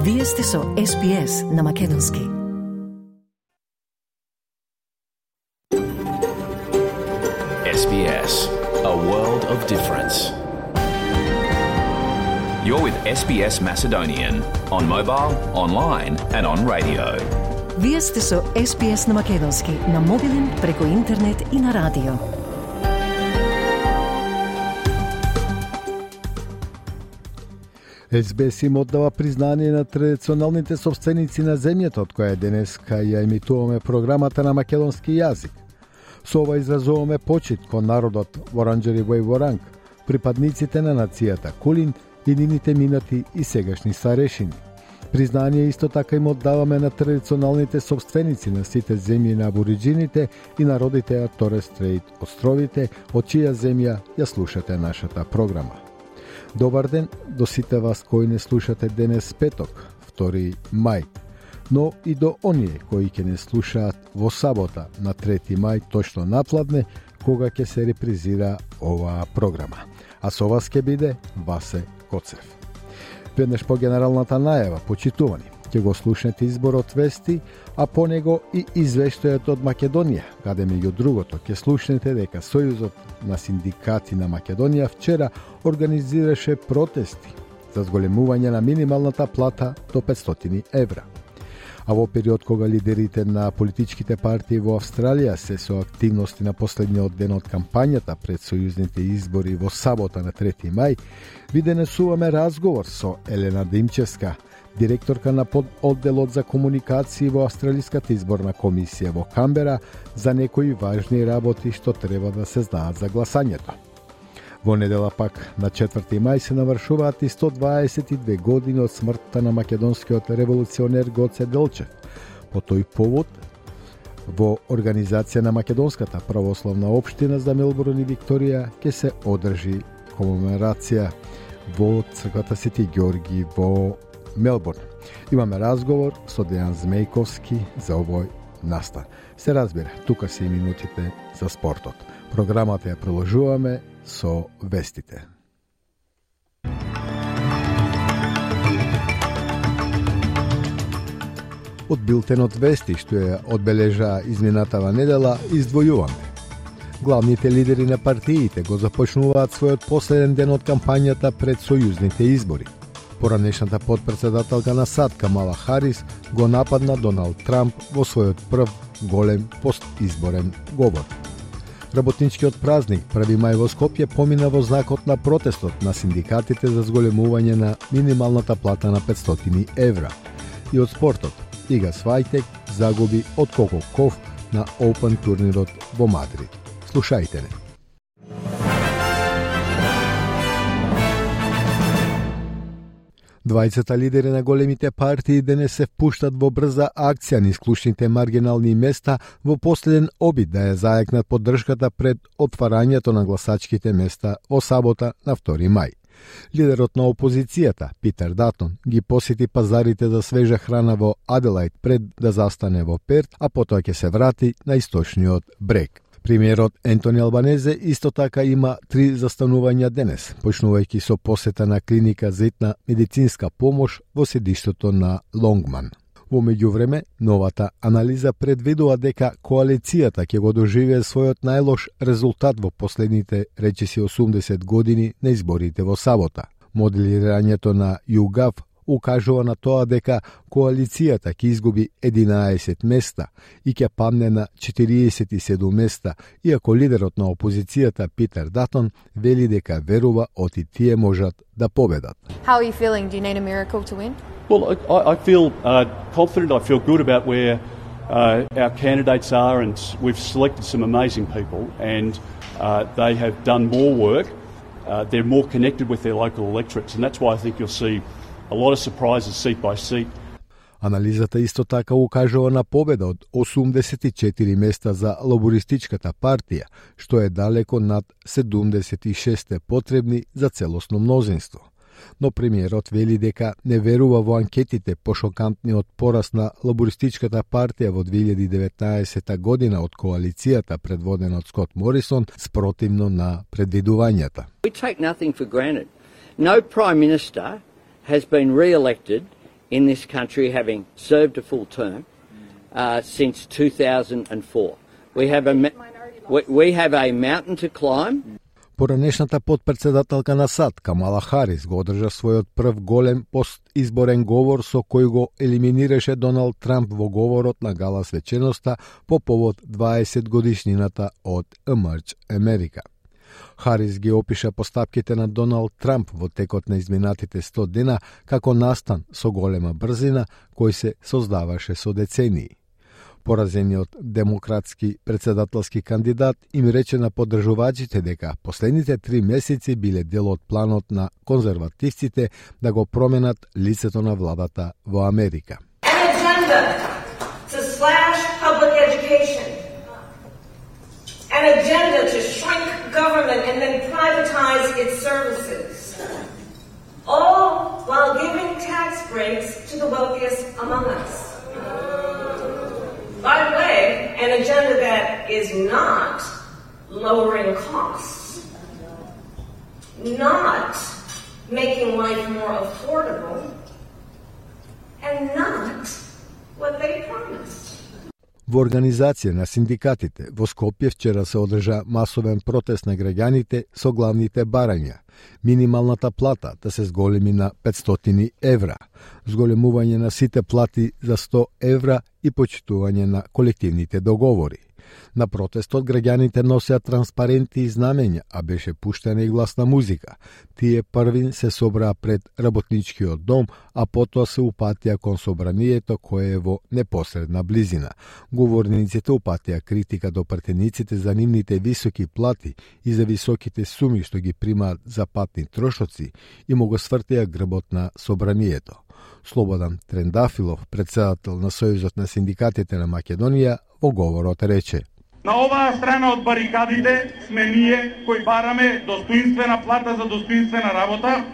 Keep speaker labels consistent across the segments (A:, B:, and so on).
A: Вие сте со SPS на Македонски.
B: SBS, a world of difference. You're with SBS Macedonian on mobile, online and on radio.
A: Вие сте со SPS на Македонски на мобилен, преку интернет и на радио.
C: SBS им оддава признание на традиционалните собственици на земјата, од која денеска ја емитуваме програмата на македонски јазик. Со ова изразуваме почит кон народот Воранџери Воранг, припадниците на нацијата Кулин и нивните минати и сегашни старешини. Признание исто така им оддаваме на традиционалните собственици на сите земји на абориџините и народите на Торес Стрейт островите, од чија земја ја слушате нашата програма. Добар ден до сите вас кои не слушате денес петок, 2 мај, но и до оние кои ќе не слушаат во сабота на 3 мај точно напладне, кога ќе се репризира оваа програма. А со вас ќе биде Васе Коцев. Веднаш по генералната најава, почитувани, ќе го слушнете изборот вести, а по него и извештајот од Македонија, каде меѓу другото ќе слушнете дека Сојузот на синдикати на Македонија вчера организираше протести за зголемување на минималната плата до 500 евра. А во период кога лидерите на политичките партии во Австралија се со активности на последниот ден од кампањата пред сојузните избори во сабота на 3 мај, ви денесуваме разговор со Елена Димчевска, директорка на пододделот за комуникации во Австралиската изборна комисија во Камбера, за некои важни работи што треба да се знаат за гласањето. Во недела пак, на 4 мај, се навршуваат и 122 години од смртта на македонскиот револуционер Гоце Делчев. По тој повод, во организација на Македонската православна општина за Мелбурн и Викторија ќе се одржи комеморација во црквата Свети Ѓорги во Мелбурн. Имаме разговор со Дејан Змејковски за овој настан. Се разбира, тука се и минутите за спортот. Програмата ја приложуваме со вестите. Од билтенот вести што ја одбележа изминатава недела, издвојуваме. Главните лидери на партиите го започнуваат својот последен ден од кампањата пред сојузните избори. Поранешната подпредседателка на САД Камала Харис го нападна Доналд Трамп во својот прв голем постизборен говор. Работничкиот празник 1 мај во Скопје помина во знакот на протестот на синдикатите за зголемување на минималната плата на 500 евра. И од спортот, Ига Свајтек загуби од Коко Ков на Open турнирот во Мадрид. Слушајте не. Двајцата лидери на големите партии денес се впуштат во брза акција низ клучните маргинални места во последен обид да ја заекнат поддршката пред отварањето на гласачките места во сабота на 2 мај. Лидерот на опозицијата, Питер Датон, ги посети пазарите за свежа храна во Аделајд пред да застане во Перт, а потоа ќе се врати на источниот брег. Премиерот Ентони Албанезе исто така има 3 застанувања денес, почнувајќи со посета на клиника за итна медицинска помош во седиштето на Лонгман. Во меѓувреме, новата анализа предвидува дека коалицијата ќе го доживее својот најлош резултат во последните речиси 80 години на изборите во сабота. Моделирањето на YouGov укажува на тоа дека коалицијата ќе изгуби 11 места и ќе падне на 47 места, иако лидерот на опозицијата Питер Датон вели дека верува оти тие можат да победат.
D: How are you feeling? Do you need a miracle to win?
E: Well, I feel confident. I feel good about where our candidates are, and we've selected some amazing people, and they have done more work. They're more connected with their local electorates, and that's why I think you'll see a lot of surprises seat by seat.
C: Анализата исто така укажува на победа од 84 места за лабористичката партија, што е далеко над 76 потребни за целосно мнозинство. Но премиерот вели дека не верува во анкетите по шокантниот пораст на лабористичката партија во 2019 година од коалицијата предводена од Скот Морисон спротивно на предвидувањата.
F: We take nothing for granted. No prime minister has been re-elected in this country, having served a full term since 2004. We have a mountain to climb.
C: Поранешната подпредседателка на САД, Камала Харис, го одржа својот прв голем постизборен говор со кој го елиминираше Доналд Трамп во говорот на гала свеченоста по повод 20 годишнината од Emerge America. Харис ги опиша постапките на Доналд Трамп во текот на изминатите 100 дена како настан со голема брзина кој се создаваше со децении. Поразениот демократски председателски кандидат им рече на поддржувачите дека последните 3 месеци биле дел од планот на конзервативците да го променат лицето на владата во Америка.
G: An agenda to slash public education. An agenda to shrink government and then privatize its services. All while giving tax breaks to the wealthiest among us. By the way, an agenda that is not lowering costs, not making life more affordable, and not what they promised.
C: Во организација на синдикатите во Скопје вчера се одржа масовен протест на граѓаните со главните барања. Минималната плата да се зголеми на 500 евра, зголемување на сите плати за 100 евра и почитување на колективните договори. На протестот граѓаните носеа транспаренти и знамења, а беше пуштена и гласна музика. Тие првин се собраа пред работничкиот дом, а потоа се упатија кон собранието кое е во непосредна близина. Говорниците упатија критика до пратениците за нивните високи плати и за високите суми што ги примаат за патни трошоци и му го свртеа грбот на собранието. Слободан Трендафилов, председател на Сојузот на синдикатите на Македонија, во говорот рече:
H: На оваа страна од барикадите сме ние кои бараме достоинствена плата за достоинствена работа,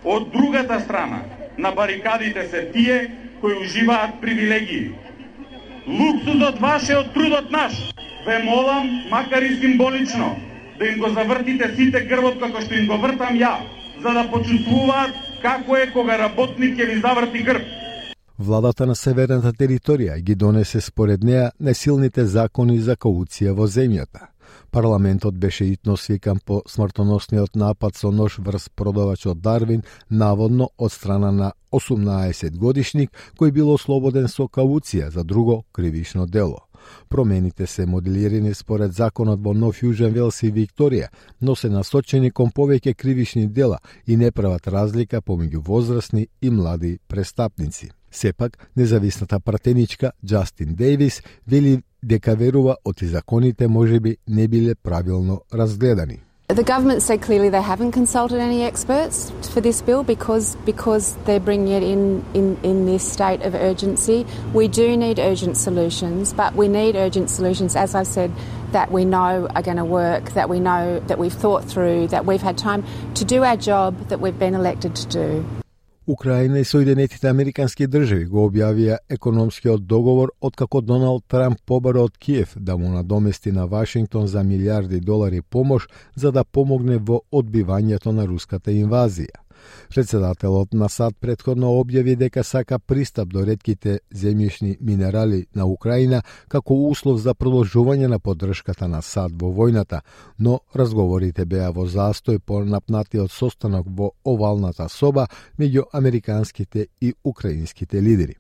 H: од другата страна на барикадите се тие кои уживаат привилегии. Луксузот ваш е од трудот наш. Ве молам, макар и символично, да им го завртите сите грбот како што им го вртам ја, за да почувствуваат како е кога работник ќе ви заврти грб.
C: Владата на северната територија ги донесе според неа несилните закони за кауција во земјата. Парламентот беше итно свикан по смртоносниот напад со нож врз продавачот Дарвин, наводно од страна на 18-годишник кој бил ослободен со кауција за друго кривишно дело. Промените се моделирани според законот во Нов Јужен Велс и Викторија, но се насочени кон повеќе кривишни дела и не прават разлика помеѓу возрастни и млади престапници. Сепак, независната пратеничка Джастин Дейвис вели дека верува оти законите можеби не биле правилно разгледани.
D: The government said clearly they haven't consulted any experts for this bill because they're bringing it in this state of urgency. We do need urgent solutions, but we need urgent solutions, as I said, that we know are going to work, that we know that we've thought through, that we've had time to do our job that we've been elected to do.
C: Украина и Соединетите Американски држави го објавија економскиот договор откако Доналд Трамп побара од Киев да му надомести на Вашингтон за милиарди долари помош за да помогне во одбивањето на руската инвазија. Председателот на САД претходно објави дека сака пристап до ретките земјишни минерали на Украина како услов за продолжување на поддршката на САД во војната, но разговорите беа во застој по напнатиот состанок во овалната соба меѓу американските и украинските лидери.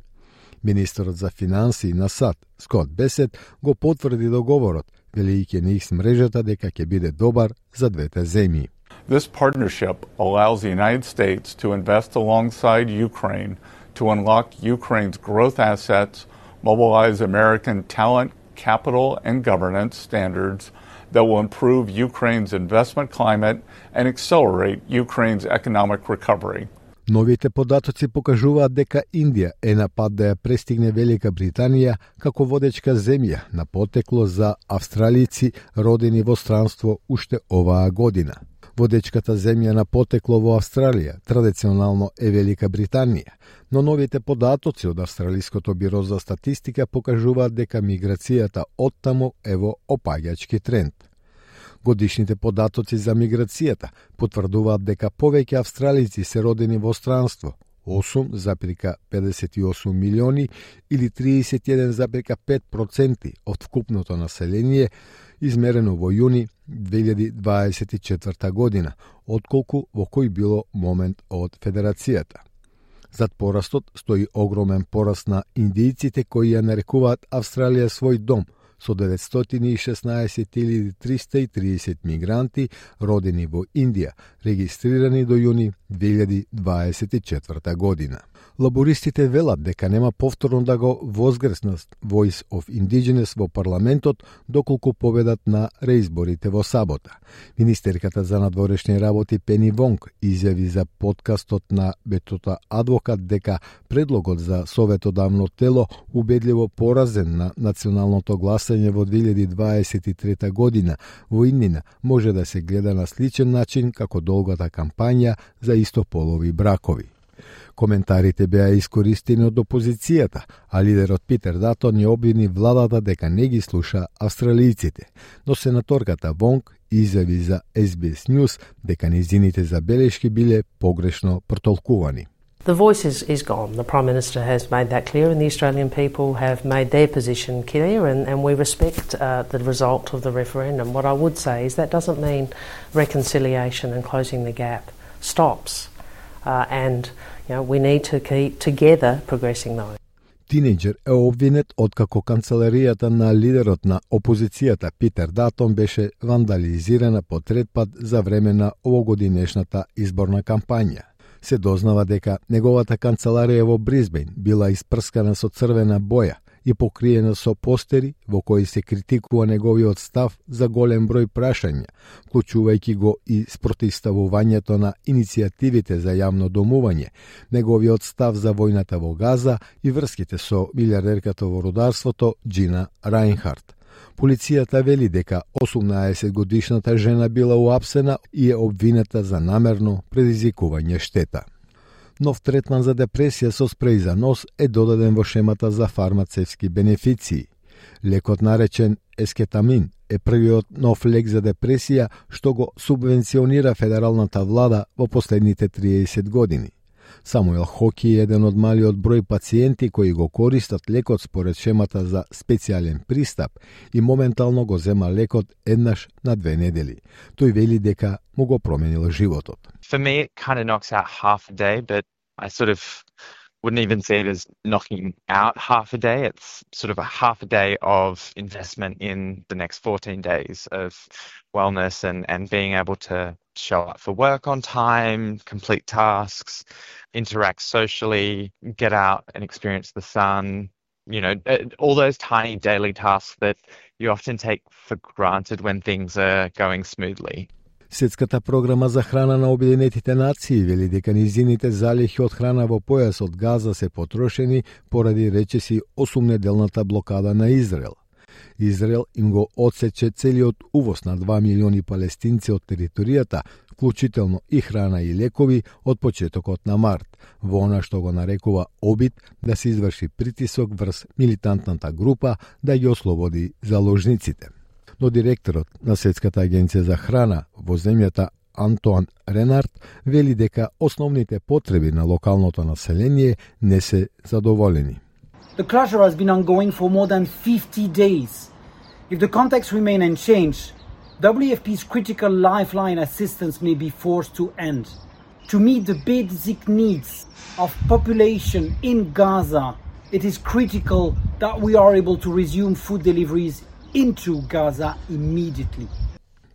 C: Министерот за финансии на САД, Скот Бесет, го потврди договорот, велејќи на X мрежата дека ќе биде добар за двете земји.
I: This partnership allows the United States to invest alongside Ukraine to unlock Ukraine's growth assets, mobilize American talent, capital, and governance standards that will improve Ukraine's investment climate and accelerate Ukraine's economic recovery.
C: Новите податоци покажуваат дека Индија е на пат да ја престигне Велика Британија како водечка земја на потекло за австралици родени во странство уште оваа година. Водечката земја на потекло во Австралија традиционално е Велика Британија, но новите податоци од Австралиското биро за статистика покажуваат дека миграцијата оттаму е во опаѓачки тренд. Годишните податоци за миграцијата потврдуваат дека повеќе австралици се родени во странство, 8,58 милиони или 31,5% од вкупното население, измерено во јуни 2024 година, отколку во кој било момент од Федерацијата. Зад порастот стои огромен пораст на индијците кои ја нарекуваат Австралија свој дом, со 916.330 мигранти родени во Индија, регистрирани до јуни 2024 година. Лабористите велат дека нема повторно да го возгреснат Voice of Indigenous во парламентот доколку победат на реизборите во сабота. Министерката за надворешни работи Пени Вонг изјави за подкастот на Бетота Адвокат дека предлогот за советодавно тело убедливо поразен на националното гласање во 2023 година во иднина може да се гледа на сличен начин како долгата кампања за истополови бракови. Коментарите беа искористени од опозицијата, а лидерот Питер Датон ја обвини владата дека не ги слуша австралијците, но сенаторката Вонг изјави за SBS News дека нејзините забелешки биле погрешно протолкувани.
J: The voice is gone. The Prime Minister has made that clear and the Australian people have made their position clear and we respect the result of the referendum. What I would say is that doesn't mean reconciliation and closing the gap stops. And we need to keep together progressing those.
C: Тинејџер е обвинет откако канцеларијата на лидерот на опозицијата Питер Датон беше вандализирана по трет пат за време на овогодинешната изборна кампања. Се дознава дека неговата канцеларија во Брисбејн била испрскана со црвена боја и покриена со постери во кои се критикува неговиот став за голем број прашања, вклучувајќи го и спротивставувањето на иницијативите за јавно домување, неговиот став за војната во Газа и врските со милиардерката во рударството Джина Рајнхарт. Полицијата вели дека 18-годишната жена била уапсена и е обвината за намерно предизвикување штета. Нов третман за депресија со спреј за нос е додаден во шемата за фармацевски бенефиции. Лекот наречен ескетамин е првиот нов лек за депресија што го субвенционира федералната влада во последните 30 години. Самуел Хоки е еден од малиот број пациенти кои го користат лекот според шемата за специјален пристап и моментално го зема лекот еднаш на 2 недели. Тој вели дека му го променил животот.
K: For me, it kind of knocks out half a day, but I sort of wouldn't even see it as knocking out half a day. It's sort of a half a day of investment in the next 14 days of wellness and being able to show up for work on time, complete tasks, interact socially, get out and experience the sun, all those tiny daily tasks that you often take for granted when things are going smoothly.
C: Светската програма за храна на Обединетите нации вели дека низините залихи од храна во појасот Газа се потрошени поради речиси 8-неделната блокада на Израел. Израел им го отсече целиот увоз на 2 милиони палестинци од територијата, вклучително и храна и лекови од почетокот на март, во она што го нарекува обид да се изврши притисок врз милитантната група да ги ослободи заложниците. Но директорот на Светската агенција за храна во земјата Антоан Ренард вели дека основните потреби на локалното население не се задоволени.
L: The closure has been ongoing for more than 50 days. If the context remain unchanged, WFP's critical lifeline assistance may be forced to end. To meet the basic needs of population in Gaza, it is critical that we are able to resume food deliveries into Gaza immediately.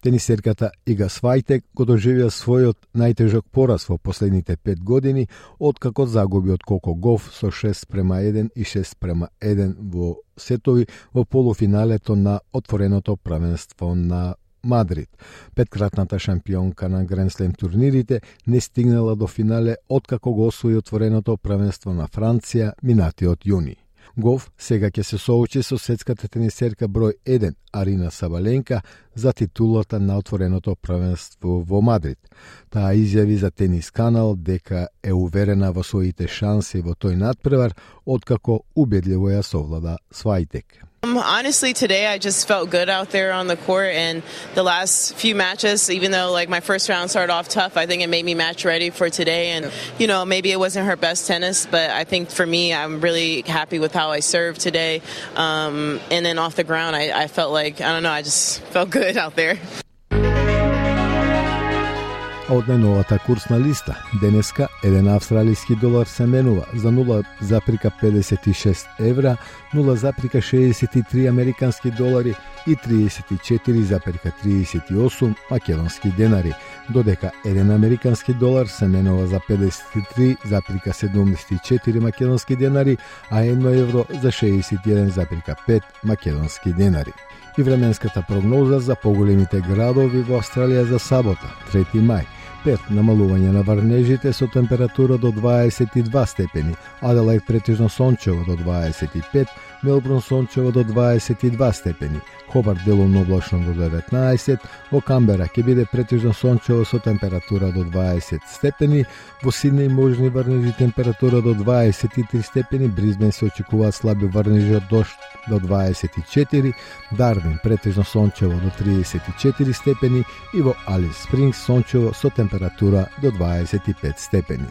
C: Тенисерката Ига Свајтек го доживеа својот најтежок пораз во последните 5 години, откако загуби од Коко Гоф со 6:1 и 6:1 во сетови во полуфиналето на отвореното правенство на Мадрид. Петкратната шампионка на Гренслем турнирите не стигнала до финале откако го освои отвореното правенство на Франција минатиот јуни. Гоф сега ќе се соочи со светската тенисерка број 1 Арина Сабаленка за титулата на отвореното правенство во Мадрид. Таа изјави за Тенис Канал дека е уверена во своите шанси во тој надпревар, откако убедливо ја совлада Свајтек.
M: Honestly, today I just felt good out there on the court, and the last few matches, even though like my first round started off tough, I think it made me match ready for today. And you know, maybe it wasn't her best tennis, but I think for me, I'm really happy with how I served today. And then off the ground, I felt like, I don't know, I just felt good out there.
C: Од најновата курсна листа, денеска еден австралиски долар се менува за 0,56 евра, 0,63 американски долари и 34,38 македонски денари, додека еден американски долар се менува за 53,74 македонски денари, а 1 евро за 61,5 македонски денари. И временската прогноза за поголемите градови во Австралија за сабота, 3 мај. Перт намалување на врнежите со температура до 22 степени, Аделаид претежно сончево до 25, Мелбурн сончево до 22 степени, Хобарт делумно облачно до 19, во Камбера ќе биде претежно сончево со температура до 20 степени, во Сиднеј можни врнежи температура до 23 степени, Бризбен се очекуваат слаби врнежи од дожд до 24, Дарвин претежно сончево до 34 степени и во Алис Спрингс сончево со температура до 25 степени.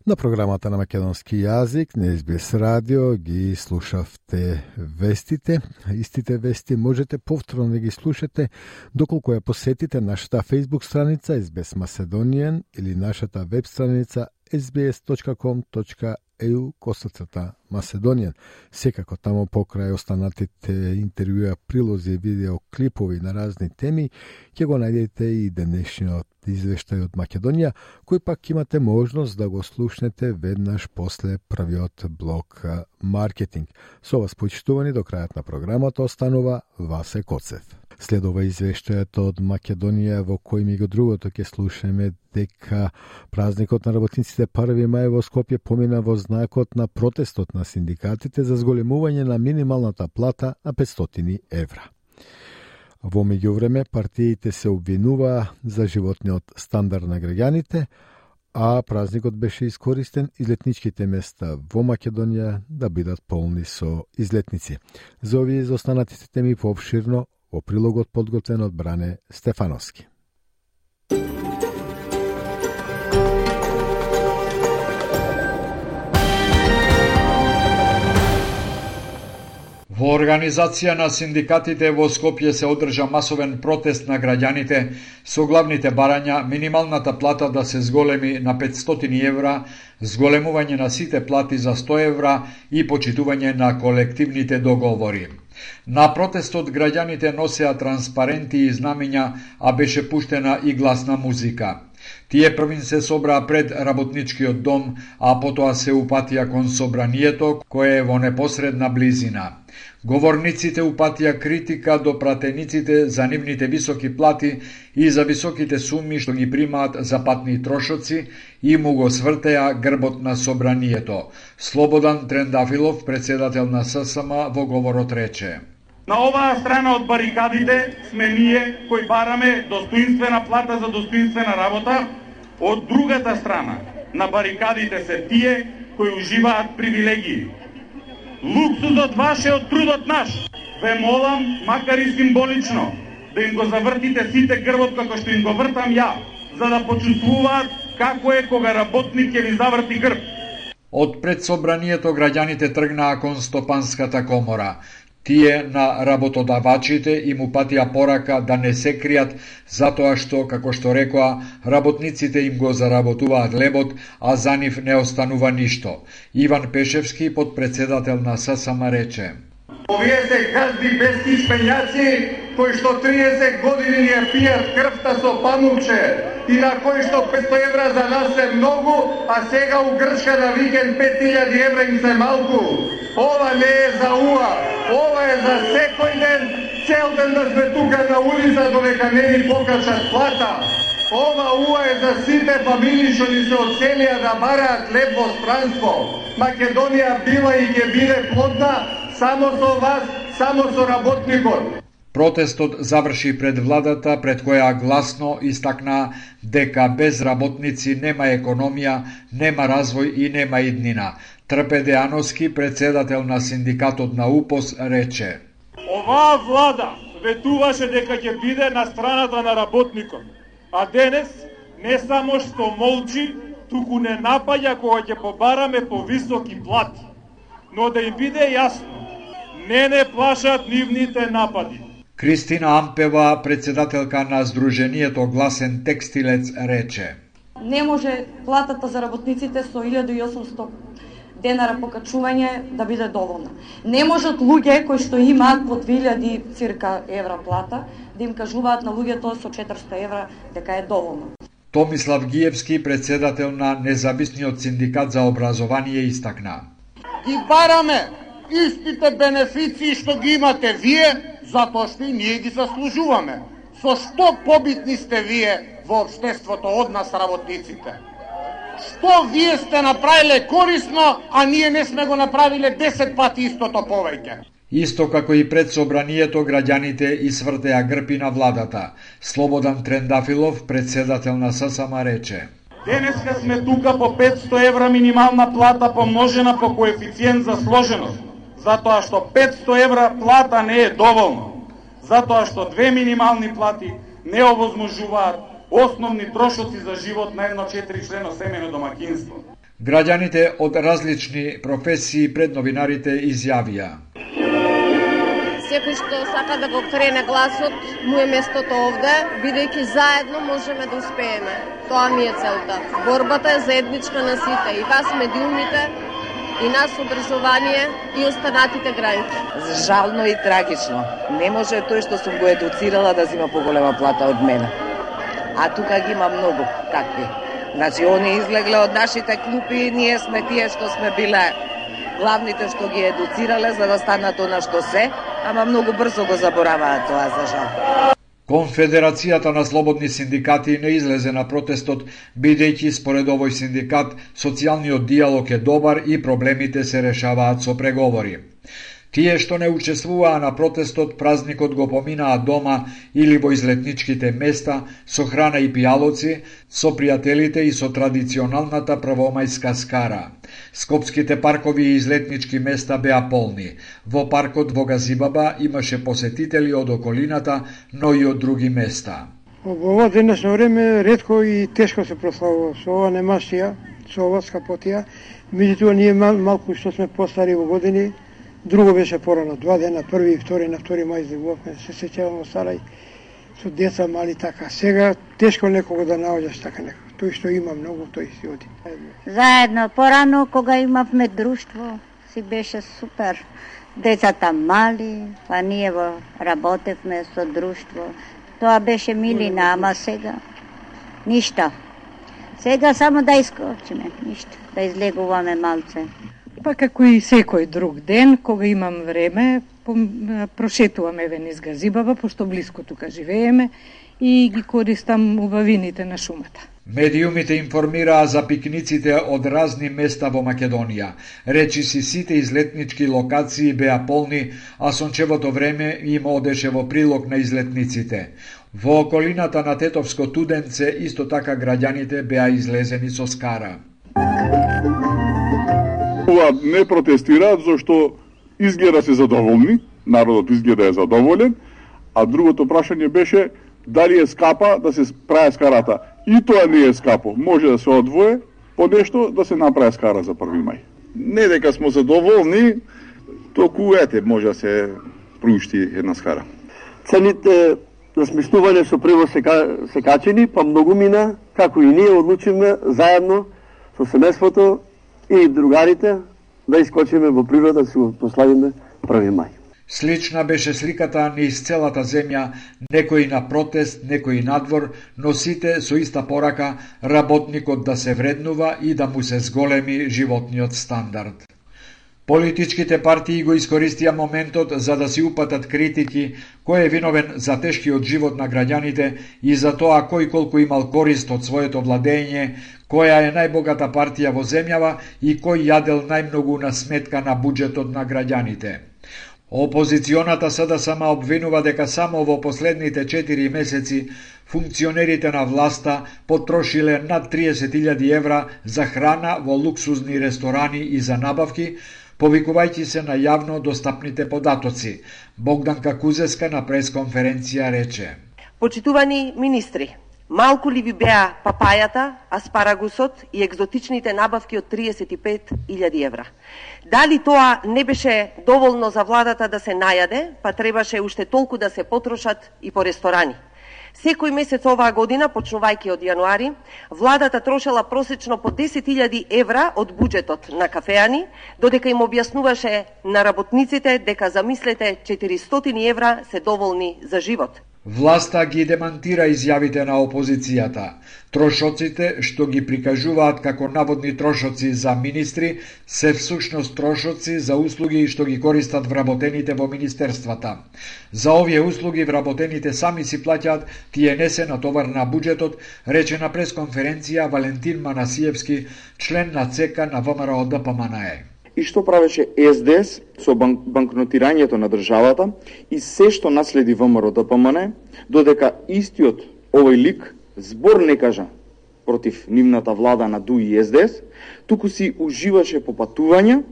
C: На програмата на македонски јазик на SBS радио ги слушавте вестите. Истите вести можете повторно да ги слушате доколку ја посетите нашата Facebook страница SBS Macedonian или нашата веб страница sbs.com.au/Macedonian. Секако тамо покрај останатите интервјуа, прилози, видео, клипови на разни теми, ќе го најдете и денешниот извештај од Македонија, кој пак имате можност да го слушнете веднаш после првиот блок маркетинг. Со вас почитувани до крајот на програмата останува Васе Коцев. Следува извештајот од Македонија во кој ми го другото ќе слушаме дека празникот на работниците 1 мај во Скопје помина во знакот на протестот на синдикатите за зголемување на минималната плата на 500 евра. Во меѓувреме, партиите се обвинува за животниот стандард на граѓаните, а празникот беше искористен излетничките места во Македонија да бидат полни со излетници. За овие и за останатите теми пообширно во прилогот подготвен од Бране Стефановски.
N: Во организација на синдикатите во Скопје се одржа масовен протест на граѓаните со главните барања минималната плата да се зголеми на 500 евра, зголемување на сите плати за 100 евра и почитување на колективните договори. На протестот граѓаните носеа транспаренти и знамиња, а беше пуштена и гласна музика. Тие првин се собраа пред работничкиот дом, а потоа се упатија кон собранието, кое е во непосредна близина. Говорниците упатија критика до пратениците за нивните високи плати и за високите суми што ги примаат за патни трошоци и му го свртеа грбот на собранието. Слободан Трендафилов, председател на ССМ, во говорот рече:
H: На оваа страна од барикадите сме ние кои бараме достоинствена плата за достоинствена работа, од другата страна на барикадите се тие кои уживаат привилегии. Луксузот ваш е од трудот наш. Ве молам, макар и символично, да им го завртите сите грбот како што им го вртам ја, за да почувствуваат како е кога работник ќе ви заврти грб.
N: Од пред собранието граѓаните тргнаа кон Стопанската комора. Тие на работодавачите им упатија порака да не се кријат затоа што, како што рекоа, работниците им го заработуваат лебот, а за нив не останува ништо. Иван Пешевски, подпредседател на ССМ, рече:
O: Овие се газди бески шпењаци кои што 30 години ни ја пијат крвта со памукче и на кои што 500 евра за нас е многу, а сега у Грчка на викенд 5000 евра им се малку. Ова не е за УА, ова е за секој ден, цел ден да сме тука на улица додека не ни покачат плата. Ова УА е за сите фамилии што ни се одселија да бараат леп во странство. Македонија била и ќе биде плодна само со вас, само со работникот.
N: Протестот заврши пред владата, пред која гласно истакна дека без работници нема економија, нема развој и нема иднина. Трпе Деановски, председател на синдикатот на УПОС, рече:
H: Оваа влада ветуваше дека ќе биде на страната на работникот, а денес не само што молчи, туку не напаѓа кога ќе побараме повисоки плати. Но да им биде јасно, не плашат нивните напади.
N: Кристина Ампева, председателка на Сдруженијето Гласен текстилец, рече:
P: Не може платата за работниците со 1800 денара покачување да биде доволна. Не можат луѓе кои што имаат по 2000 цирка евра плата да им кажуваат на луѓето со 400 евра дека е доволно.
N: Томислав Гиевски, председател на Независниот синдикат за образование, истакна:
O: Ги бараме истите бенефиции што ги имате вие, затоа што и ние ги заслужуваме. Со што побитни сте вие во општеството од нас работниците? Што вие сте направиле корисно, а ние не сме го направиле 10 пати истото повеќе?
N: Исто како и пред собранието, граѓаните извртеа грпи на владата. Слободан Трендафилов, председател на ССМ, рече:
H: Денеска сме тука по 500 евра минимална плата помножена по коефициент за сложеност, затоа што 500 евра плата не е доволно, затоа што 2 минимални плати не овозможуваат основни трошоци за живот на едно 4-члено семејно домаќинство.
N: Граѓаните од различни професии пред новинарите изјавија:
Q: Секој што сака да го крене гласот, му е местото овде, бидејќи заедно можеме да успееме. Тоа ми е целта. Борбата е заедничка на сите, и вас медиумите, и нас образование, и останатите граѓани.
R: Жално и трагично. Не може тој што сум го едуцирала да зима поголема плата од мене. А тука ги има многу такви. Значи, они излегле од нашите клупи, ние сме тие што сме биле главните што ги едуцирале за да станат она што се, ама многу брзо го забораваат тоа, за жал.
N: Конфедерацијата на слободни синдикати не излезе на протестот, бидејќи според овој синдикат социјалниот диалог е добар и проблемите се решаваат со преговори. Тие што не учествуваа на протестот, празникот го поминаа дома или во излетничките места, со храна и пијалоци, со пријателите и со традиционалната првомајска скара. Скопските паркови и излетнички места беа полни. Во паркот во Газибаба имаше посетители од околината, но и од други места.
S: Во ова денешно време ретко и тешко се прославува со ова немашија, со ова скапотија. Меѓутоа ние малку што сме постари во години, друго беше порано, 2 дена, 1 и 2 на 2 мај излегувавме, се сеќавам во Сарај, со деца мали така. Сега тешко некого да наоѓаш така некого. Тој што има многу, тој си оди.
T: Заедно, порано кога имавме друштво, си беше супер. Децата мали, па ние работевме со друштво. Тоа беше милина, ама сега ништо. Сега само да искочиме, ништо, да излегуваме малце.
U: Па како и секој друг ден, кога имам време, прошетувам еве низ Газибаба, пошто близко тука живееме и ги користам убавините на шумата.
N: Медиумите информираа за пикниците од разни места во Македонија. Речиси сите излетнички локации беа полни, а сончевото време им одеше во прилог на излетниците. Во околината на Тетовско Туденце исто така граѓаните беа излезени со скара.
V: Не протестираат зашто изгледа се задоволни, народот изгледа е задоволен, а другото прашање беше дали е скапа да се прави скарата. И тоа не е скапо, може да се одвое по нешто да се направи скара за 1 мај. Не дека сме задоволни, току ете може да се приушти една скара.
W: Цените на сместување со превоз се качени, па многу мина, како и ние одлучиме заедно со семејството и другарите да искочиме во природа да се го прославиме 1 мај.
N: Слична беше сликата низ целата земја, некои на протест, некои надвор, но сите со иста порака работникот да се вреднува и да му се зголеми животниот стандард. Политичките партии го искористија моментот за да си упатат критики кој е виновен за тешкиот живот на граѓаните и за тоа кој колку имал корист од своето владење, која е најбогата партија во земјава и кој јадел најмногу на сметка на буџетот на граѓаните. Опозиционата СДСМ обвинува дека само во последните 4 месеци функционерите на власта потрошиле над 30.000 евра за храна во луксузни ресторани и за набавки, повикувајќи се на јавно достапните податоци. Богданка Кузеска на пресконференција рече:
A: Почитувани министри, малку ли ви беа папајата, аспарагусот и екзотичните набавки од 35.000 евра? Дали тоа не беше доволно за владата да се најаде, па требаше уште толку да се потрошат и по ресторани? Секој месец оваа година, почнувајќи од јануари, владата трошела просечно по 10.000 евра од буџетот на кафеани, додека им објаснуваше на работниците дека, замислете, 400 евра се доволни за живот.
N: Власта ги демантира изјавите на опозицијата. Трошоците што ги прикажуваат како наводни трошоци за министри се всушност трошоци за услуги што ги користат вработените во министерствата. За овие услуги вработените сами си плаќаат, тие не се натовар на буџетот, рече на пресконференција Валентин Манасиевски, член на ЦК на ВМРО ДПМНЕ.
B: И што правеше СДС со банкнотирањето на државата и се што наследи ВМРО ДПМНЕ, додека истиот овој лик збор не кажа против нивната влада на ДУ и СДС, туку си уживаше по патувања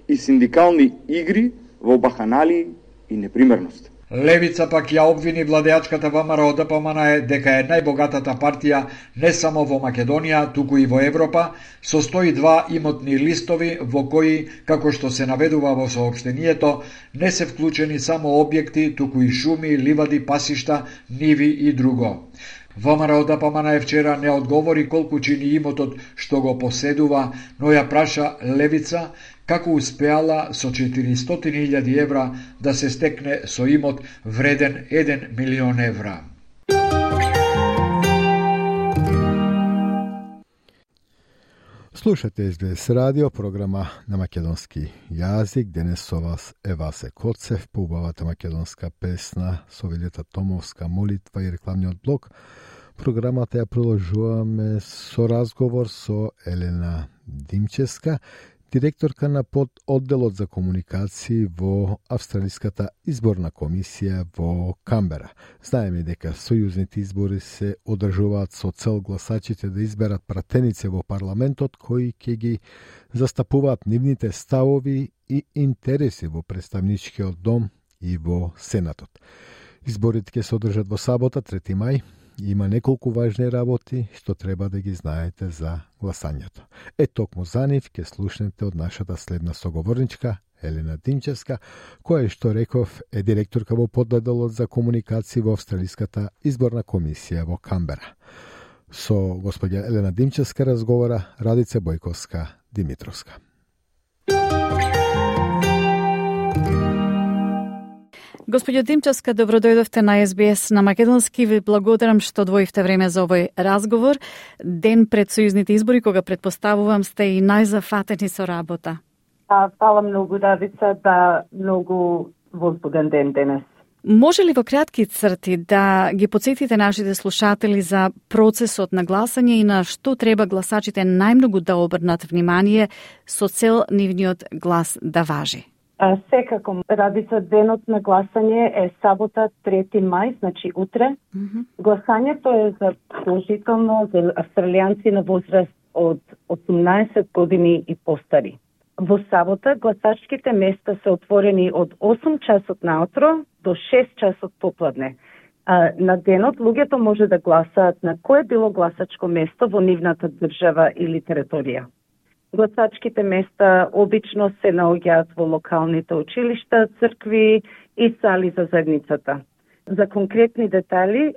B: и синдикални игри во баханали и непримерност.
N: Левица пак ја обвини владеачката ВМРО ДПМНЕ дека е најбогатата партија не само во Македонија, туку и во Европа, со 102 имотни листови во кои, како што се наведува во соопштението, не се вклучени само објекти, туку и шуми, ливади, пасишта, ниви и друго. ВМРО ДПМНЕ вчера не одговори колку чини имотот што го поседува, но ја праша Левица како успеала со 400.000 евра да се стекне со имот вреден 1 милион евра.
C: Слушате СБС радио, програма на македонски јазик. Денес со вас е Васе Коцев, по убавата македонска песна со Вилета Томовска молитва и рекламниот блок. Програмата ја продолжуваме со разговор со Елена Димчевска, директорка на пододделот за комуникации во Австралиската изборна комисија во Камбера. Знаеме дека сојузните избори се одржуваат со цел гласачите да изберат пратеници во парламентот кои ќе ги застапуваат нивните ставови и интереси во представничкиот дом и во Сенатот. Изборите ќе се одржат во сабота, 3 мај. Има неколку важни работи што треба да ги знаете за гласањето. Токму за нив ќе слушнете од нашата следна соговорничка Елена Димчевска, која што реков е директорка во пододделот за комуникации во Австралиската изборна комисија во Камбера. Со господја Елена Димчевска разговара Радица Бојковска Димитровска.
E: Господјо Димчевска, добро дојдовте на СБС на македонски. Ви благодарам што одвоивте време за овој разговор. Ден пред сојузните избори, кога предпоставувам сте и најзафатени со работа.
X: Фала многу, Радица, многу возбуден ден денес.
E: Може ли во кратки црти да ги потсетите нашите слушатели за процесот на гласање и на што треба гласачите најмногу да обрнат внимание со цел нивниот глас да важи?
X: Секако, Радица, денот на гласање е сабота 3 мај, значи утре. Гласањето е за положително за австралијанци на возраст од 18 години и постари. Во сабота гласачките места се отворени од 8 часот наутро до 6 часот попладне. На денот луѓето може да гласаат на кое било гласачко место во нивната држава или територија. Гласачките места обично се наоѓаат во локалните училишта, цркви и сали за заедницата. За конкретни детали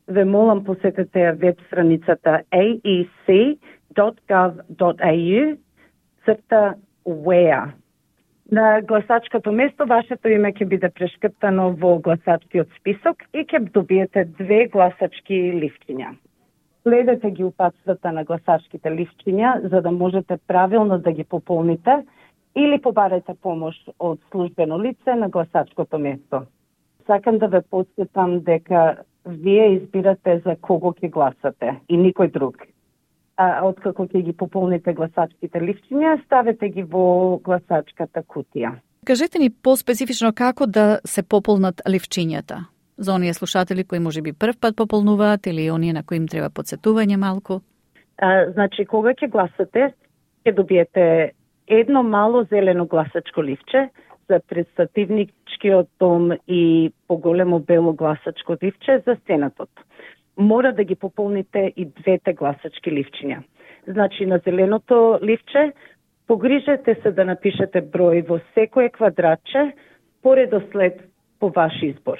X: ве молам посетете веб страницата aec.gov.au/where. На гласачкото место вашето име ќе биде прешкртано во гласачкиот список и ќе добиете 2 гласачки лифчиња. Следете ги упатствата на гласачките лифчиња за да можете правилно да ги пополните или побарете помош од службено лице на гласачкото место. Сакам да ве потсетам дека вие избирате за кого ќе гласате и никој друг. Откако ќе ги пополните гласачките лифчиња, ставете ги во гласачката кутија.
E: Кажете ни по-специфично како да се пополнат ливчињата за оние слушатели кои можеби прв пат пополнуваат или оние на кои им треба подсетување малку?
X: Значи, кога ќе гласате, ќе добиете едно мало зелено гласачко ливче за представничкиот дом и поголемо бело гласачко ливче за Сенатот. Мора да ги пополните и двете гласачки ливчиња. Значи, на зеленото ливче погрижете се да напишете број во секое квадратче по редослед по ваш избор.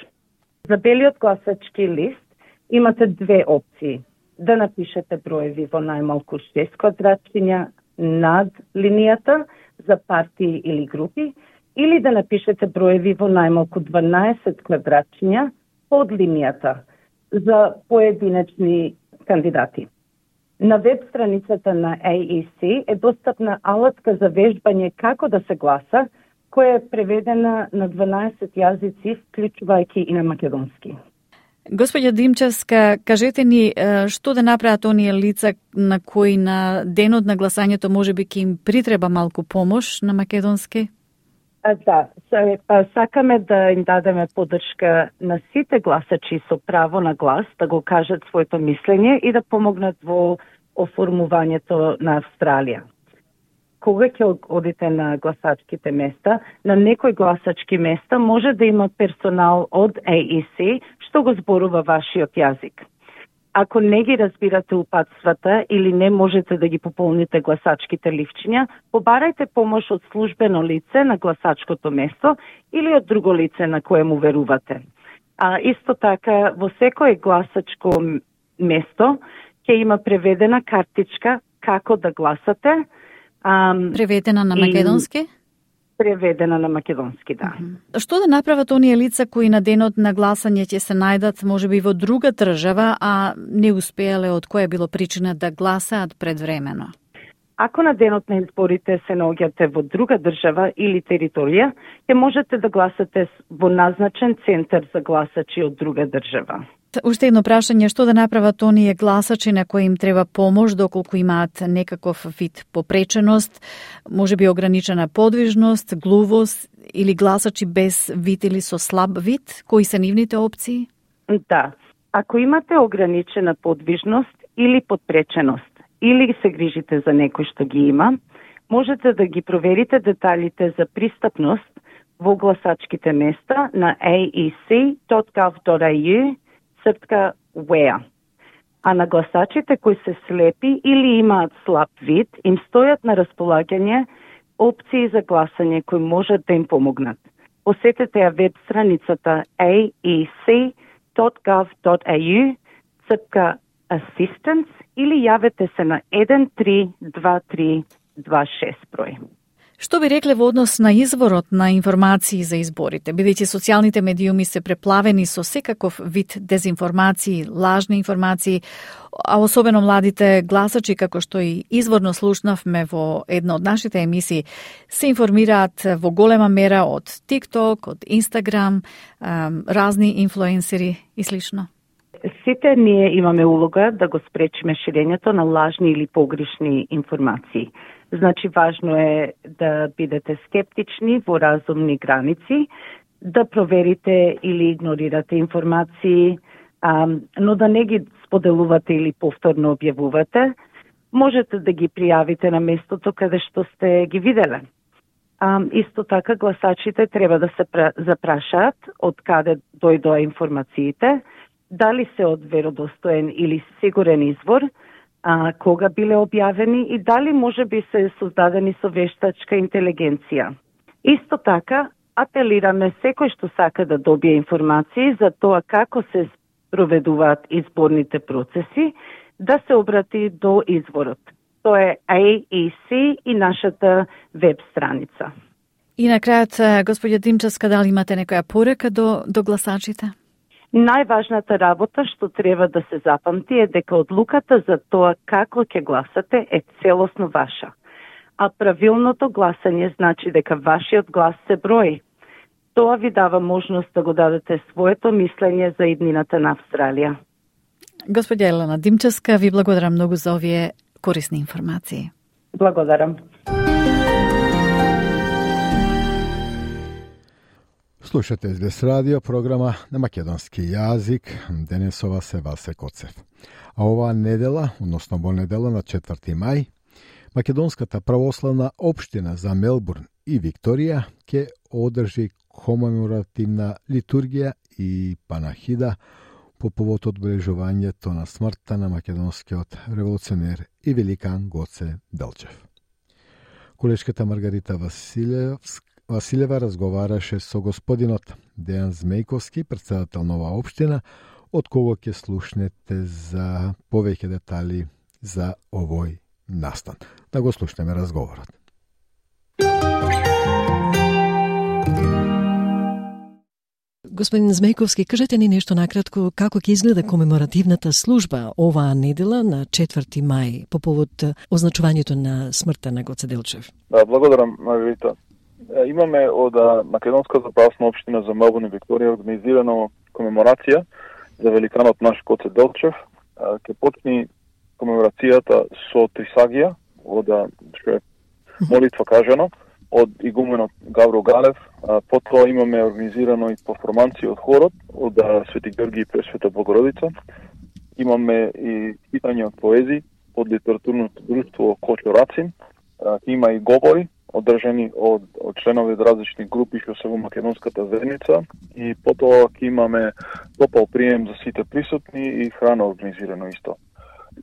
X: За белиот гласачки лист имате две опции. Да напишете броеви во најмалку 6 квадратчиња над линијата за партии или групи, или да напишете броеви во најмалку 12 квадратчиња под линијата за поединечни кандидати. На веб страницата на AEC е достапна алатка за вежбање како да се гласа, која е преведена на 12 јазици, вклучувајќи и на македонски.
E: Господја Димчевска, кажете ни што да направат оние лица на кои на денот на гласањето можеби ќе им притреба малку помош на македонски?
X: Да, сакаме да им дадеме поддршка на сите гласачи со право на глас, да го кажат своето мислење и да помогнат во оформувањето на Австралија. Кога ќе одите на гласачките места, на некои гласачки места може да има персонал од AEC што го зборува вашиот јазик. Ако не ги разбирате упатствата или не можете да ги пополните гласачките ливчиња, побарајте помош од службено лице на гласачкото место или од друго лице на кое му верувате. Исто така, во секое гласачко место ќе има преведена картичка како да гласате.
E: Преведена на македонски?
X: Преведена на македонски, да.
E: Што да направат оние лица кои на денот на гласање ќе се најдат можеби во друга држава, а не успеале од која било причина да гласаат предвремено?
X: Ако на денот на изборите се наоѓате во друга држава или територија, ќе можете да гласате во назначен центар за гласачи од друга држава.
E: Уште едно прашање, што да направат оние гласачи на кои им треба помош доколку имаат некаков вид попреченост, можеби ограничена подвижност, глувост или гласачи без вид или со слаб вид, кои се нивните опции?
X: Да, ако имате ограничена подвижност или подпреченост, или се грижите за некој што ги има, можете да ги проверите деталите за пристапност во гласачките места на aec.gov.au /where. А на гласачите кои се слепи или имаат слаб вид, им стојат на располагање опции за гласање кои можат да им помогнат. Посетете ја веб страницата aec.gov.au /assistance или јавете се на 132326 број.
E: Што би рекле во однос на изворот на информации за изборите, бидејќи социјалните медиуми се преплавени со секаков вид дезинформации, лажни информации, а особено младите гласачи, како што и изворно слушнавме во една од нашите емисии, се информираат во голема мера од TikTok, од Instagram, разни инфлуенсери и слично.
X: Сите ние имаме улога да го спречиме ширењето на лажни или погрешни информации. Значи, важно е да бидете скептични во разумни граници, да проверите или игнорирате информации, но да не ги споделувате или повторно објавувате. Можете да ги пријавите на местото каде што сте ги виделе. Исто така, гласачите треба да се запрашаат од каде дојдоа информациите, дали се од веродостоен или сигурен извор, кога биле објавени и дали може би се создадени со вештачка интелигенција. Исто така, апелираме секој што сака да добие информации за тоа како се проведуваат изборните процеси, да се обрати до изворот. Тоа е AEC и нашата веб страница.
E: И на крајот, господја Димчевска, дали имате некоја порека до гласачите?
X: Најважната работа што треба да се запамти е дека одлуката за тоа како ќе гласате е целосно ваша. А правилното гласање значи дека вашиот глас се брои. Тоа ви дава можност да го дадете своето мислење за иднината на Австралија.
E: Господја Елена Димчевска, ви благодарам многу за овие корисни информации.
X: Благодарам.
C: Слушате СБС радио, програма на македонски јазик. Денесова се Васе Коцев. А оваа недела, односно во недела на 4 мај, Македонската православна општина за Мелбурн и Викторија ќе одржи комеморативна литургија и панахида по повод одбележувањето на смртта на македонскиот револуционер и великан Гоце Делчев. Колешката Маргарита Василева разговараше со господинот Дејан Змејковски, председател на оваа општина, од кого ќе слушнете за повеќе детали за овој настан. Да го слушнеме разговорот.
D: Господин Змејковски, кажете ни нешто накратко како ќе изгледа комеморативната служба оваа недела на 4 мај по повод означувањето на смртта на Гоце Делчев.
F: Да, благодарам, Маргарита. Имаме од Македонската православна општина за Мелбурн и Викторија организирано комеморација за великанот наш Гоце Делчев. Ќе почне комеморацијата со Трисагија, од што е молитва кажано, од игуменот Гавро Галев. Потоа имаме организирано и перформанција од хорот, од Свети Георги и Пресвета Богородица. Имаме и читање од поезии од литературното друштво Кочо Рацин. Има и говори одржани од членови од различни групи што се во македонската заедница, и потоа ќе имаме топол прием за сите присутни и храна организирано исто.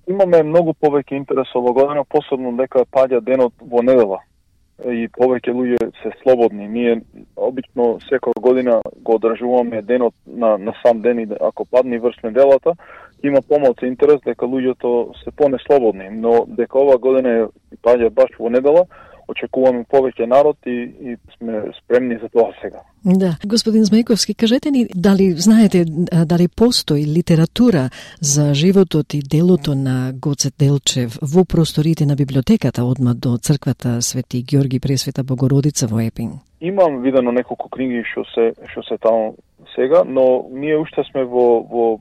F: Имаме многу повеќе интерес оваа година, посебно дека паѓа денот во недела и повеќе луѓе се слободни. Ние обично секоја година го одржуваме денот на сам ден, и ако падне врз неделата, има помалку интерес дека луѓето се понеслободни, но дека оваа година паѓа баш во недела, очекуваме повеќе народ и сме спремни за тоа сега.
D: Да. Господин Змејковски, кажете ни дали знаете дали постои литература за животот и делото на Гоце Делчев во просторите на библиотеката одма до црквата Свети Георги Пресвета Богородица во Епин?
F: Имам видено неколку книги што се таму сега, но ние уште сме во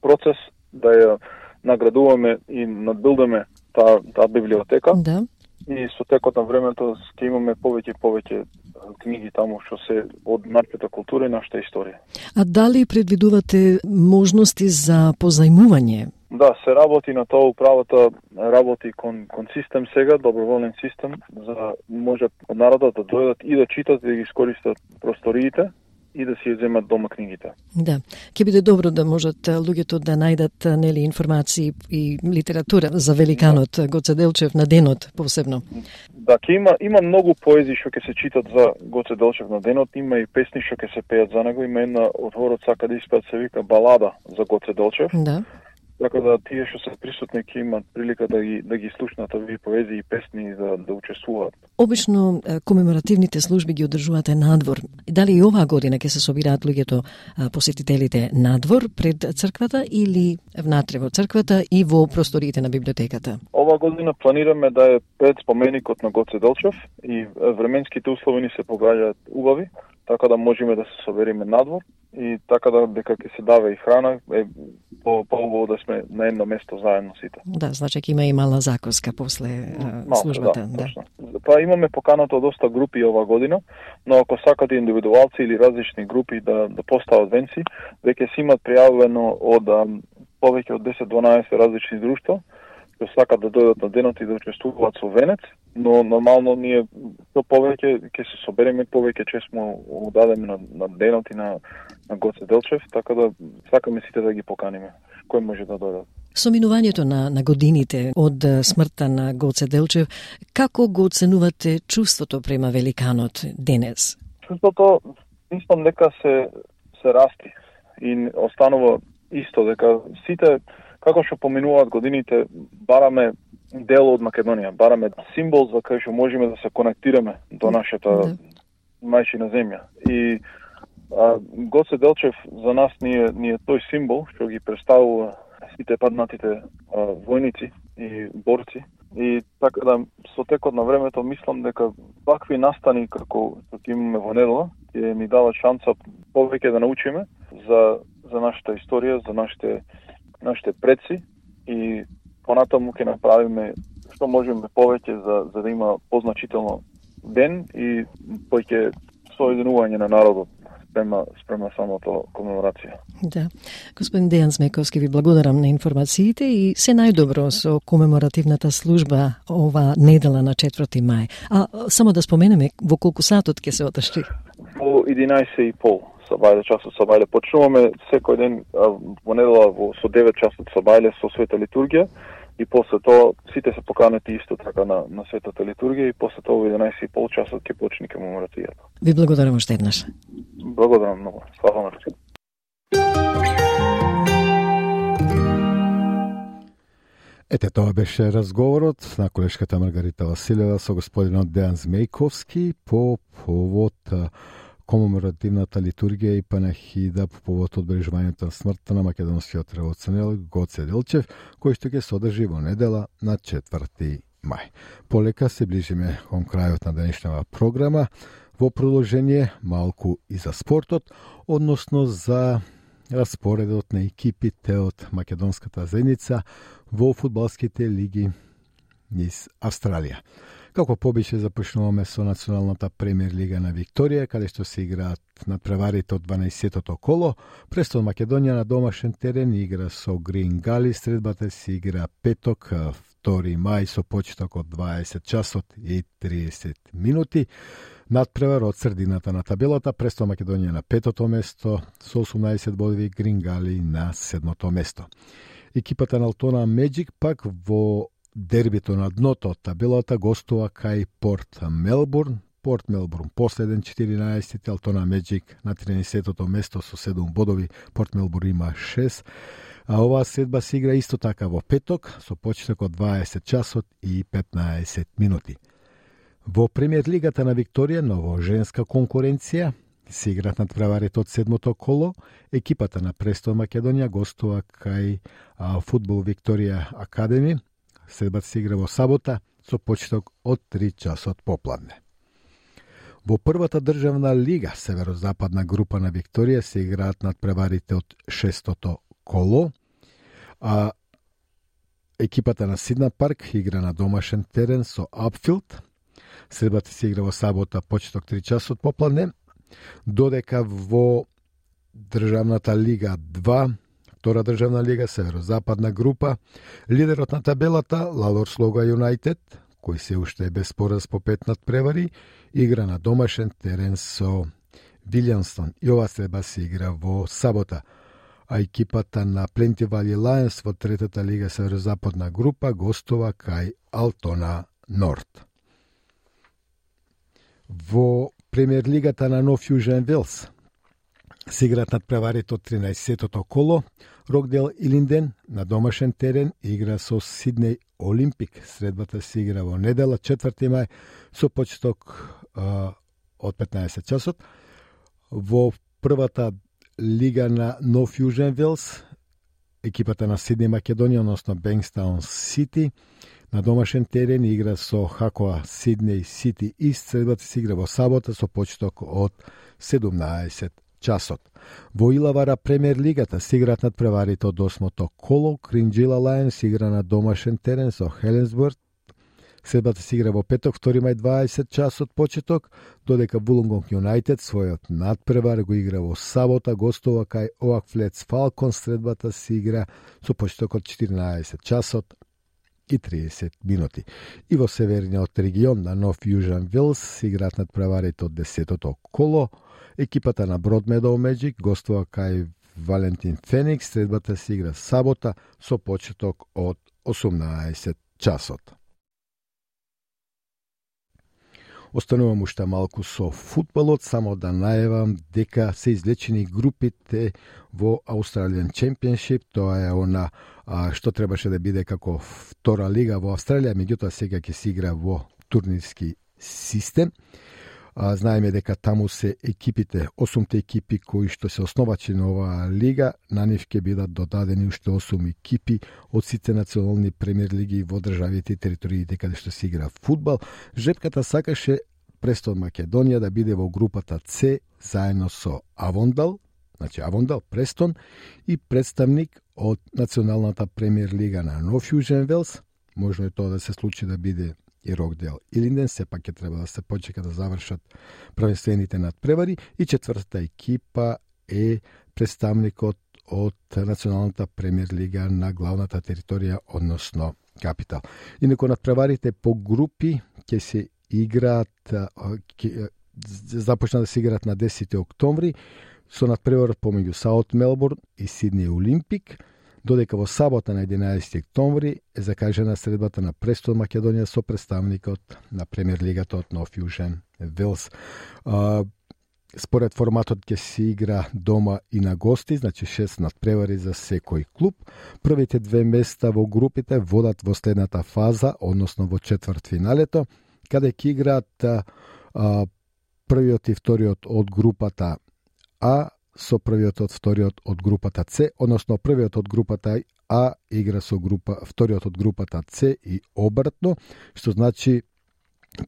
F: процес да ја наградуваме и надбилдаме таа библиотека.
D: Да.
F: И со текот на времето ќе имаме повеќе книги таму што се од нашата култура и нашата историја.
D: А дали предвидувате можности за позајмување?
F: Да, се работи на тоа, управата работи кон систем сега, доброволен систем, за може од народот да дојдат и да читат и да ги искористат просториите и да си ја земат дома книгите.
D: Да, ќе биде добро да можат луѓето да најдат нели информации и литература за великанот Гоце Делчев на денот посебно.
F: Да, има многу поезии што ќе се читат за Гоце Делчев на денот, има и песни што ќе се пеат за него, има една од хорот сака да испеат, се вика балада за Гоце Делчев.
D: Да.
F: Така да тие што се присутни ќе имат прилика да ги слушнат овие поезии и песни и да учествуваат.
D: Обично комеморативните служби ги одржувате надвор. Дали и оваа година ќе се собираат луѓето, посетителите надвор пред црквата или внатре во црквата и во просториите на библиотеката?
F: Оваа година планираме да е пред споменикот на Гоце Делчев и временските услови ни се погаѓаат убави, така да можеме да се собериме надвор и така да дека ќе се дава и храна, е по-убаво да сме на едно место заедно сите.
D: Да, значи ќе има и мала закуска после службата.
F: Да. Па имаме поканата од доста групи оваа година, но ако сакате индивидуалци или различни групи да постават венци, веќе си имат пријавено од повеќе од 10-12 различни друштва што сакат да дојдат на денот и да учествуваат со венец, но нормално ние што повеќе ќе се собереме, повеќе чесмо удадеме на денот и на Гоце Делчев, така да сакаме сите да ги поканиме. Кој може да дојдат.
D: Со минувањето на годините од смртта на Гоце Делчев, како го оценувате чувството према великанот денес?
F: Чувството, мислам дека се расти и останува исто, дека сите како што поминуваат годините, бараме дел од Македонија, бараме символ за кај што можеме да се конектираме до нашата мајчина земја. И Гоце Делчев за нас ние тој символ што ги представува сите паднатите војници и борци. И така да со текот на времето мислам дека вакви настани како што имаме во недела ќе ни дава шанса повеќе да научиме за нашата историја, за нашите предци и понатаму ќе направиме што можеме повеќе за да има позначително ден и повеќе соединување на народот спрема самото комеморација.
D: Да. Господин Дејан Змејковски, ви благодарам на информациите и се најдобро со комеморативната служба ова недела на 4 мај. А само да споменеме во колку сатот ќе се одржи?
F: Во 11:30 часот сабајле. Почнуваме секој ден во недела со 9 часот сабајле со света литургија и после тоа сите се поканети исто така на светата литургија и после тоа во 11:30 часот ќе почне комеморацијата.
D: Ви благодарам уште еднаш.
F: Благодарам многу. Слава на Христос.
C: Ете, тоа беше разговорот на колешката Маргарита Василева со господинот Дејан Змејковски по повод комеморативната литургија и панахида по повод одбележувањето на смртта на македонскиот револуционер Гоце Делчев, кој што ќе се одржи во недела на 4 мај. Полека се ближиме кон крајот на денешната програма. Во продолжение малку и за спортот, односно за распоредот на екипите од македонската заедница во фудбалските лиги низ Австралија. Како побише започнуваме со Националната премиер лига на Викторија, каде што се играат надпреварите од 12-тото коло. Престон Македонија на домашен терен игра со Грин Гали, средбата се игра петок, 2 мај со почеток од 20 часот и 30 минути. Надпревар од средината на табелата, Престон Македонија на 5-то место со 18 бодови, Грин Гали на 7-то место. Екипата на Алтона Меджик пак во дербито на дното од табелата гостува кај Порт Мелбурн. Порт Мелбурн последен 14, Алтона Меджик на 13-тото место со 7 бодови, Порт Мелбурн има 6. А оваа средба се игра исто така во петок со почеток од 20 часот и 15 минути. Во премиер лигата на Викторија, ново женска конкуренција, се играат надпреварите од 7-то коло. Екипата на Престон Македонија гостува кај Фудбал Викторија Академи. Средбата се игра во сабота со почеток од 3 часот попладне. Во првата државна лига, северозападна група на Викторија, се играат надпреварите од 6-тото коло, а екипата на Сидна Парк игра на домашен терен со Апфилд. Средбата се игра во сабота, почеток 3 часот попладне, додека во државната лига 2, втора државна лига, северозападна група, лидерот на табелата, Лалор Слога Юнайтед, кој се уште е без пораз по 5 надпревари, игра на домашен терен со Вилјамстон и ова средба се игра во сабота. А екипата на Пленти Вали Лајонс во третата лига северозападна група гостува кај Алтона Норд. Во премиер лигата на Нов Јужен Велс се играат надпреварите од 13-тото коло. Рокдел Илинден на домашен терен игра со Сиднеј Олимпик. Средбата се игра во недела 4 мај со почеток од 15 часот. Во првата лига на Нов Јужен Велс, екипата на Сиднеј Македонија, односно Бенкстаун Сити, на домашен терен игра со Хакоа Сиднеј Сити Ист. Средбата се игра во сабота со почеток од 17 часот. Во Илавара премиер лигата се играат надпреварите од 8-то коло. Кринџила Лајонс игра на домашен терен со Хеленсбург. Средбата се игра во петок, 2 мај 20 часот почеток, додека Вулонгонг Юнайтед својот надпревар го игра во сабота, гостува кај Оак Флетс Фалкон. Средбата се игра со почеток од 14 часот и 30 минути. И во северниот регион на Нов Јужен Велс се играат надпреварите од 10-тото коло. Екипата на Бродмедоу Меджик гостува кај Валентин Феникс. Средбата се игра сабота со почеток од 18 часот. Останувам уште малку со футболот, само да најавам дека се излечени групите во Australian Championship. Тоа е она што требаше да биде како втора лига во Австралија, меѓутоа сега ќе се игра во турнирски систем. Знаеме дека таму се екипите, 8 екипи кои што се основачи на оваа лига, на нив ќе бидат додадени уште 8 екипи од сите национални премиер лиги во државите и териториите каде што се игра фудбал. Жребката сакаше Престон Македонија да биде во групата С заедно со Авондал, значи Авондал, Престон и представник од националната премиер лига на Нов Јужен Велс. Можно е тоа да се случи да биде и Рокдейл Илинден сепак ќе треба да се почека да завршат првенствените надпревари и четвртата екипа е представникот од Националната премиер лига на главната територија, односно Капитал. Инаку надпреварите по групи ќе се играат, започна да се играат на 10 октомври со надпреварот помеѓу Саут Мелбурн и Сидни Олимпик, додека во сабота на 11 октомври е закажана средбата на Престон Македонија со представникот на премиер лигата од Нов Јужен Велс. Според форматот ќе се игра дома и на гости, значи 6 надпревари за секој клуб. Првите две места во групите водат во следната фаза, односно во четвртфиналето, каде ќе играат првиот и вториот од групата А со првиот од вториот од групата С, односно првиот од групата А игра со вториот од групата С и обратно, што значи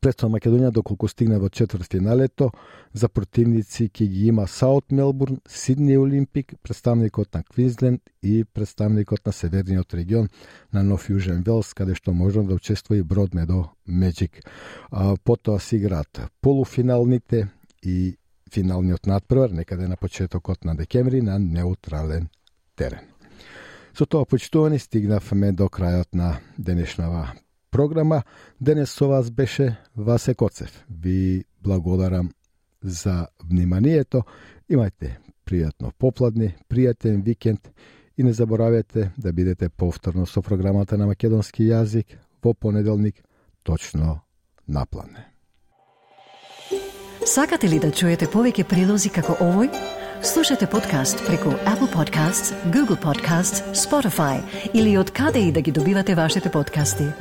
C: Престон Македонија, доколку стигне во четвртфиналето, за противници ќе ги има Саут Мелбурн, Сидни Олимпик, представникот на Квинсленд и представникот на северниот регион на Нов Јужен Велс, каде што може да учествува и Бродмедо Меджик. Потоа се играат полуфиналните и финалниот надпревар некаде на почетокот на декември на неутрален терен. Со тоа, почитувани, стигнавме до крајот на денешнава програма. Денес со вас беше Васе Коцев. Ви благодарам за вниманието. Имајте пријатно попладни, пријатен викенд и не заборавете да бидете повторно со програмата на македонски јазик во понеделник точно на плане.
D: Сакате ли да чуете повеќе прилози како овој? Слушате подкаст преку Apple Podcasts, Google Podcasts, Spotify или од каде и да ги добивате вашите подкасти.